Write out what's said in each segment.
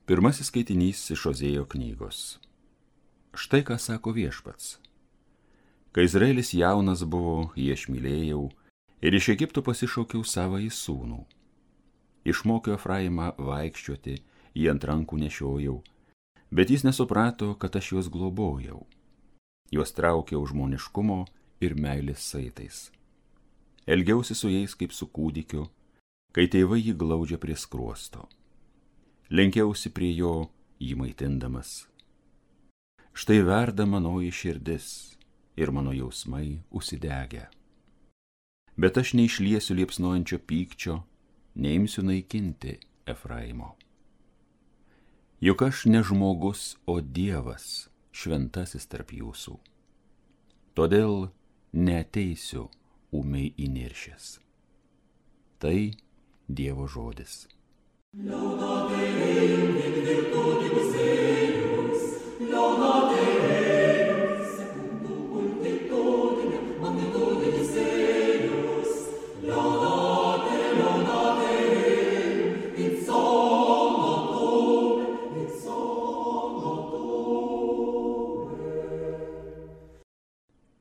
Pirmasis skaitinys iš Ozėjo knygos. Štai ką sako Viešpats. Kai Izraelis jaunas buvo, jį aš mylėjau ir iš Egipto pasišaukiau savąjį sūnų. Išmokiau Efraimą vaikščioti, jį ant rankų nešiojau, bet jis nesuprato, kad aš juos globojau. Juos traukiau žmoniškumo ir meilės saitais. Elgiausi su jais kaip su kūdikiu, kai tėvai jį glaudžia prie skruosto. Lenkiausi prie jo, jį maitindamas. Štai verda manoji širdis ir mano jausmai užsidegę. Bet aš neišliesiu liepsnojančio pykčio, neimsiu naikinti Efraimo. Juk aš ne žmogus, o Dievas, šventasis tarp jūsų. Todėl neateisiu ūmiai įniršęs. Tai Dievo žodis. Laudate Deum in virtutibus eius, laudate Deum secundum multitudinem magnitudis eius, laudate Deum in somno tuum.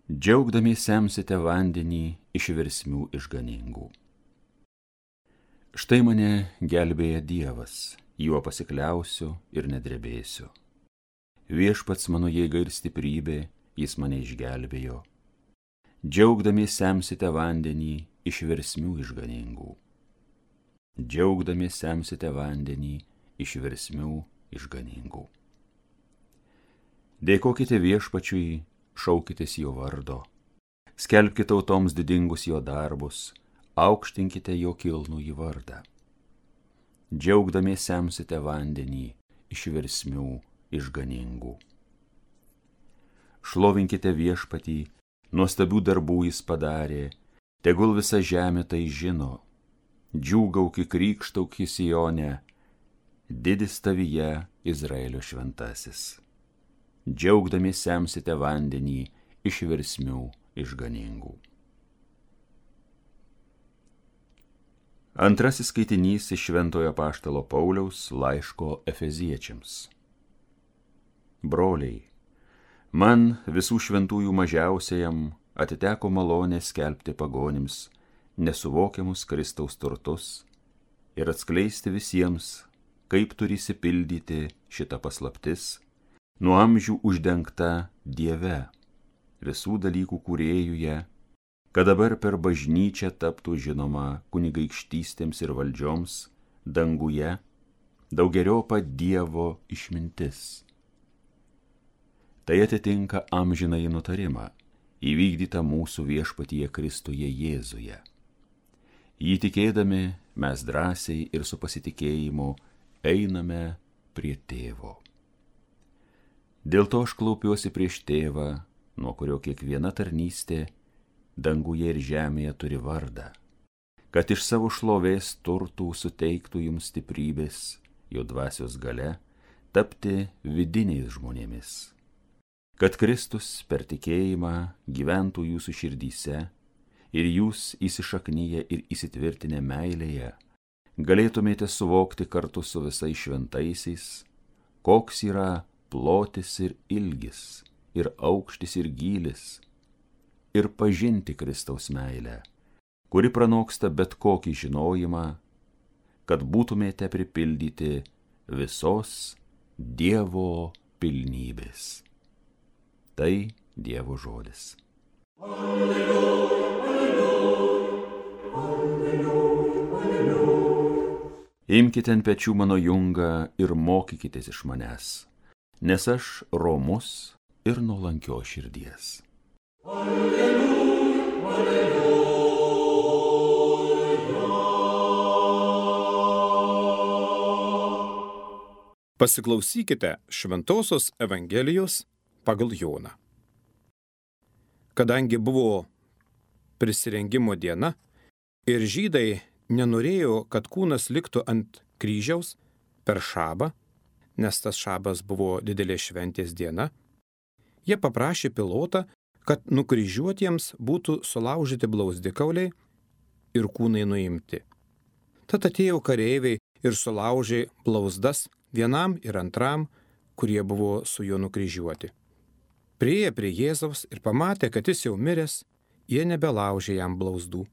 Džiaugdamiesi semsite vandenį iš versmių išganingų. Štai mane gelbėja Dievas, juo pasikliausiu ir nedrebėsiu. Viešpats mano jėga ir stiprybė, jis mane išgelbėjo. Džiaugdamiesi semsite vandenį iš versmių išganingų. Džiaugdamiesi semsite vandenį iš versmių išganingų. Dėkokite Viešpačiui, šaukitės jo vardo, skelbkite tautoms didingus jo darbus, aukštinkite jo kilnųjį vardą. Džiaugdamiesi semsite vandenį iš versmių išganingų. Šlovinkite Viešpatį, nuostabių darbų jis padarė, tegul visa žemė tai žino. Džiūgauk krykštauk Sione, didis tavyje Izraelio šventasis. Džiaugdamiesi semsite vandenį iš versmių išganingų. Antrasis skaitinys iš Šventojo apaštalo Pauliaus laiško Efeziečiams. Broliai, man visų šventųjų mažiausiajam atiteko malonė skelbti pagonims nesuvokiamus Kristaus turtus ir atskleisti visiems, kaip turi išsipildyti šita paslaptis, nuo amžių uždengta Dieve, visų dalykų kūrėjuje, kad dabar per bažnyčią taptų žinoma kunigaikštystėms ir valdžioms danguje daugeriopą Dievo išmintis. Tai atitinka amžinąjį nutarimą, įvykdytą mūsų Viešpatyje Kristuje Jėzuje. Jį tikėdami mes drąsiai ir su pasitikėjimu einame prie Tėvo. Dėl to aš klaupiuosi prieš Tėvą, nuo kurio kiekviena tarnystė danguje ir žemėje turi vardą, kad iš savo šlovės turtų suteiktų jums stiprybės, jo dvasios galia, tapti vidiniais žmonėmis, kad Kristus per tikėjimą gyventų jūsų širdyse ir jūs įsišaknyje ir įsitvirtinę meilėje galėtumėte suvokti kartu su visais šventaisiais, koks yra plotis ir ilgis, ir aukštis ir gylis, ir pažinti Kristaus meilę, kuri pranoksta bet kokį žinojimą, kad būtumėte pripildyti visos Dievo pilnybės. Tai Dievo žodis. Alleluja, alleluja, alleluja, alleluja. Imkite ant pečių mano jungą ir mokykitės iš manęs, nes aš romus ir nuolankios širdies. Alleluja, alleluja. Pasiklausykite Šventosios Evangelijos pagal Joną. Kadangi buvo prisirengimo diena ir žydai nenorėjo, kad kūnas liktų ant kryžiaus per šabą, nes tas šabas buvo didelė šventės diena, jie paprašė Pilotą, kad nukryžiuotiems būtų sulaužyti blauzdikauliai ir kūnai nuimti. Tad atėjo kareiviai ir sulaužė blauzdas vienam ir antram, kurie buvo su juo nukryžiuoti. Priėję prie Jėzaus ir pamatė, kad jis jau miręs, jie nebelaužė jam blauzdų.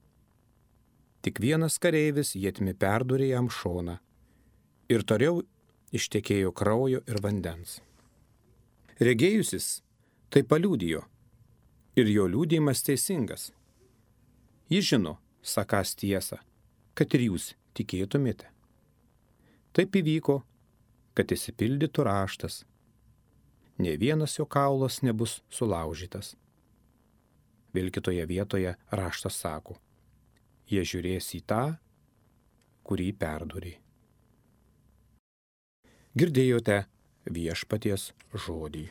Tik vienas kareivis ietimi perdūrė jam šoną ir toliau ištekėjo kraujo ir vandens. Regėjusis tai paliudijo ir jo liudijimas teisingas. Jis žino, sakąs tiesą, kad ir jūs tikėtumėte. Taip įvyko, kad išsipildytų raštas. Nė vienas jo kaulas nebus sulaužytas. Vėl kitoje vietoje raštas sako, jie žiūrės į tą, kurį perdūrė. Girdėjote viešpaties žodį.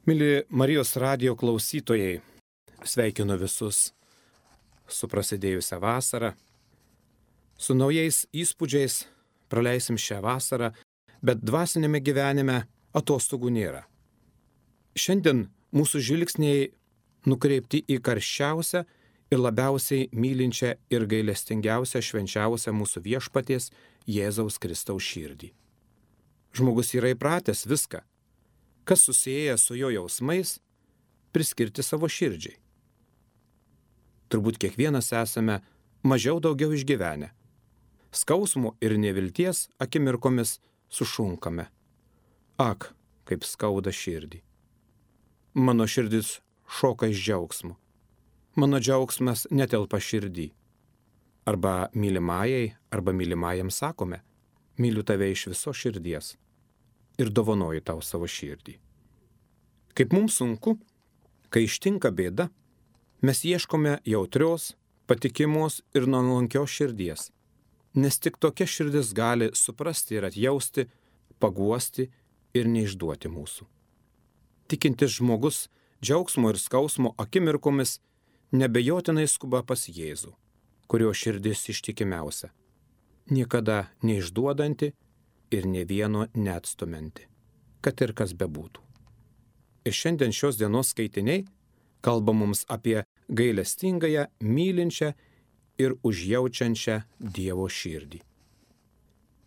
Mili Marijos radijo klausytojai, sveikinu visus su prasidėjusią vasarą. Su naujais įspūdžiais praleisim šią vasarą, bet dvasinėme gyvenime atostogų nėra. Šiandien mūsų žvilgsniai nukreipti į karščiausią ir labiausiai mylinčią ir gailestingiausią švenčiausią mūsų viešpaties Jėzaus Kristaus širdį. Žmogus yra įpratęs viską, kas susieja su jo jausmais, priskirti savo širdžiai. Turbūt kiekvienas esame mažiau daugiau išgyvenę. Skausmo ir nevilties akimirkomis sušunkame. Ak, kaip skauda širdį. Mano širdis šoka iš džiaugsmo. Mano džiaugsmas netelpa širdį. Arba mylimajai, arba mylimajam sakome, myliu tave iš viso širdies ir dovanoju tau savo širdį. Kaip mums sunku, kai ištinka bėda, mes ieškome jautrios, patikimos ir nuolankios širdies, nes tik tokia širdis gali suprasti ir atjausti, paguosti ir neišduoti mūsų. Tikintis žmogus džiaugsmo ir skausmo akimirkomis nebejotinai skuba pas Jėzų, kurio širdis ištikimiausia, niekada neišduodanti ir nė vieno neatstumianti, kad ir kas bebūtų. Ir šiandien šios dienos skaitiniai kalba mums apie gailestingąją, mylinčią ir užjaučiančią Dievo širdį.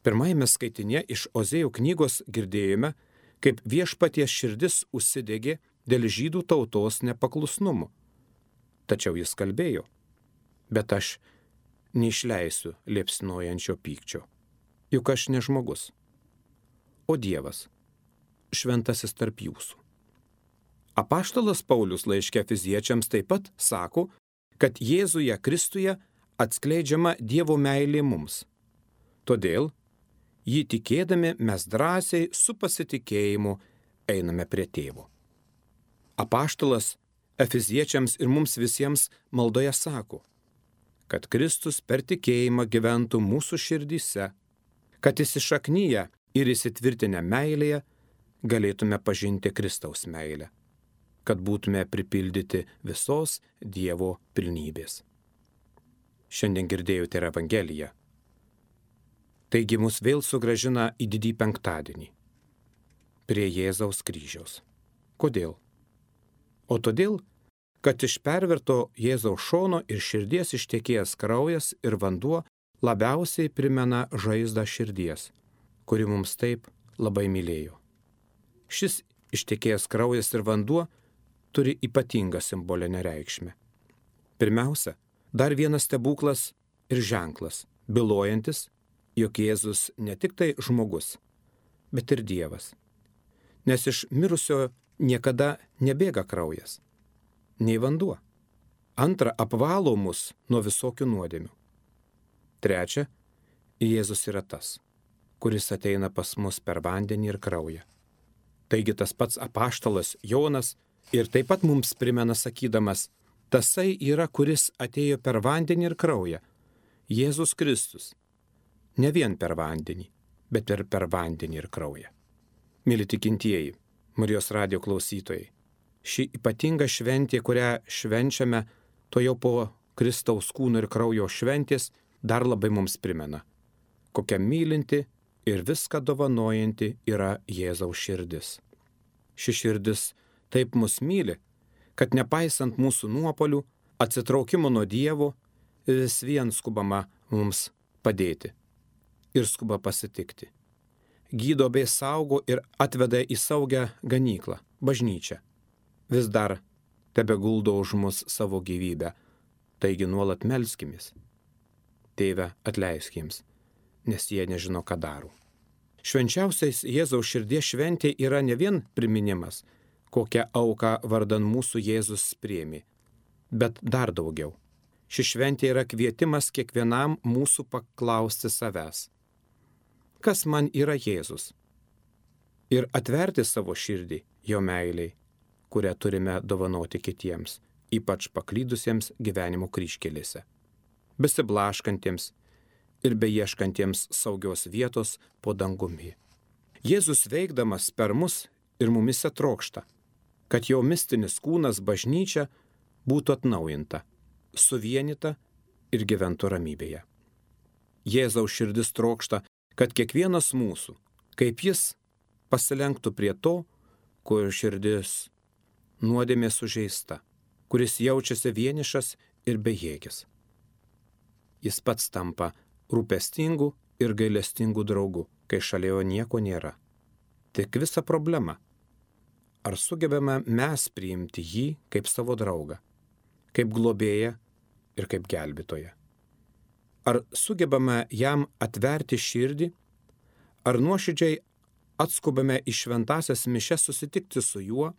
Pirmajame skaitinėje iš Ozėjų knygos girdėjome, kaip viešpaties širdis užsidegė dėl žydų tautos nepaklusnumo. Tačiau jis kalbėjo, bet aš neišleisiu liepsnojančio pykčio, juk aš ne žmogus, o Dievas, šventasis tarp jūsų. Apaštalas Paulius laiške Efeziečiams taip pat sako, kad Jėzuje Kristuje atskleidžiama Dievo meilė mums. Todėl, jį tikėdami mes drąsiai su pasitikėjimu einame prie Tėvo. Apaštalas Efeziečiams ir mums visiems maldoje sako, kad Kristus per tikėjimą gyventų mūsų širdyse, kad įsišaknyje ir įsitvirtinę meilėje galėtume pažinti Kristaus meilę, kad būtume pripildyti visos Dievo pilnybės. Šiandien girdėjote ir Evangeliją. Taigi mus vėl sugrąžina į didį penktadienį, prie Jėzaus kryžiaus. Kodėl? O todėl, kad iš perverto Jėzaus šono ir širdies ištekėjęs kraujas ir vanduo labiausiai primena žaizdą širdies, kuri mums taip labai mylėjo. Šis ištekėjęs kraujas ir vanduo turi ypatingą simbolinę reikšmę. Pirmiausia, dar vienas stebuklas ir ženklas, bylojantis, jog Jėzus ne tik tai žmogus, bet ir Dievas. Nes iš mirusio niekada nebėga kraujas, nei vanduo. Antra, apvalo mus nuo visokių nuodėmių. Trečia, Jėzus yra tas, kuris ateina pas mus per vandenį ir kraują. Taigi tas pats apaštalas Jonas ir taip pat mums primena sakydamas, tasai yra, kuris atėjo per vandenį ir kraują, Jėzus Kristus. Ne vien per vandenį, bet ir per vandenį ir kraują. Mili tikintieji, Marijos radijo klausytojai, ši ypatinga šventė, kurią švenčiame, to jau po Kristaus kūno ir kraujo šventės, dar labai mums primena, kokia mylinti ir viską dovanojanti yra Jėzaus širdis. Ši širdis taip mus myli, kad nepaisant mūsų nuopolių, atsitraukimo nuo Dievo, vis vien skubama mums padėti ir skuba pasitikti. Gydo bei saugo ir atveda į saugią ganyklą, bažnyčią. Vis dar tebeguldo už mus savo gyvybę, taigi nuolat melskimės. Tėve, atleisk jiems, nes jie nežino, ką daro. Švenčiausiais Jėzaus širdies šventė yra ne vien priminimas, kokią auką vardan mūsų Jėzus priėmė, bet dar daugiau. Ši šventė yra kvietimas kiekvienam mūsų paklausti savęs. Kas man yra Jėzus? Ir atverti savo širdį jo meiliai, kurią turime dovanoti kitiems, ypač paklydusiems gyvenimo kryžkelėse, besiblaškantiems ir beieškantiems saugios vietos po dangumi. Jėzus veikdamas per mus ir mumise trokšta, kad jo mistinis kūnas bažnyčia būtų atnaujinta, suvienyta ir gyventų ramybėje. Jėzaus širdis trokšta, kad kiekvienas mūsų, kaip jis, pasilenktų prie to, kur širdis nuodėmė sužeista, kuris jaučiasi vienišas ir bejėgis. Jis pats tampa rūpestingu ir gailestingu draugu, kai šalia jo nieko nėra. Tik visa problema. Ar sugebame mes priimti jį kaip savo draugą, kaip globėją ir kaip gelbėtoją? Ar sugebame jam atverti širdį, ar nuoširdžiai atskubame į šventąsias mišias susitikti su juo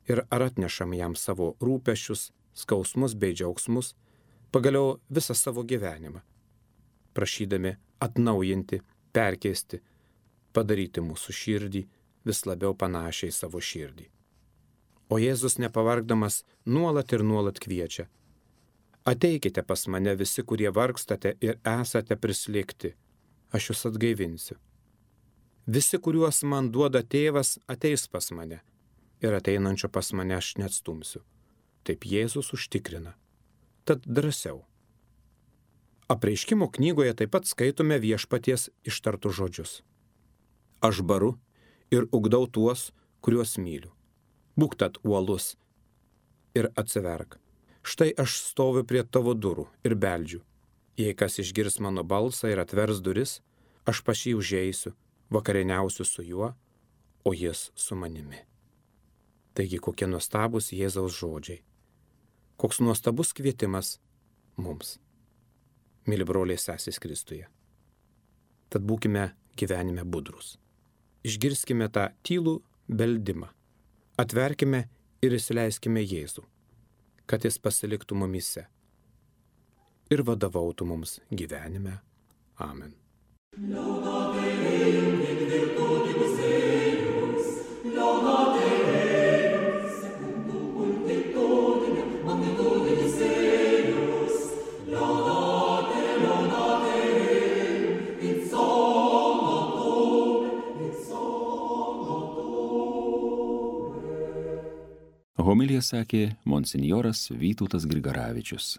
ir ar atnešam jam savo rūpesčius, skausmus bei džiaugsmus, pagaliau visą savo gyvenimą, prašydami atnaujinti, perkeisti, padaryti mūsų širdį vis labiau panašiai savo širdį. O Jėzus nepavargdamas nuolat ir nuolat kviečia: ateikite pas mane visi, kurie vargstate ir esate prislėgti, aš jūs atgaivinsiu. Visi, kuriuos man duoda tėvas, ateis pas mane ir ateinančio pas mane aš neatstumsiu. Taip Jėzus užtikrina. Tad drąsiau. Apreiškimo knygoje taip pat skaitome viešpaties ištartus žodžius. Aš baru ir ugdau tuos, kuriuos myliu. Būk tad uolus ir atsiverk. Štai aš stoviu prie tavo durų ir beldžiu. Jei kas išgirs mano balsą ir atvers duris, aš pas jį užeisiu, vakarieniausiu su juo, o jis su manimi. Taigi kokie nuostabus Jėzaus žodžiai. Koks nuostabus kvietimas mums. Myli broliai sesės Kristuje. Tad būkime gyvenime budrus. Išgirskime tą tylų beldimą. Atverkime ir įsileiskime Jėzų, kad jis pasiliktų mumyse ir vadovautų mums gyvenime. Amen. Homiliją sakė monsinjoras Vytautas Grigaravičius.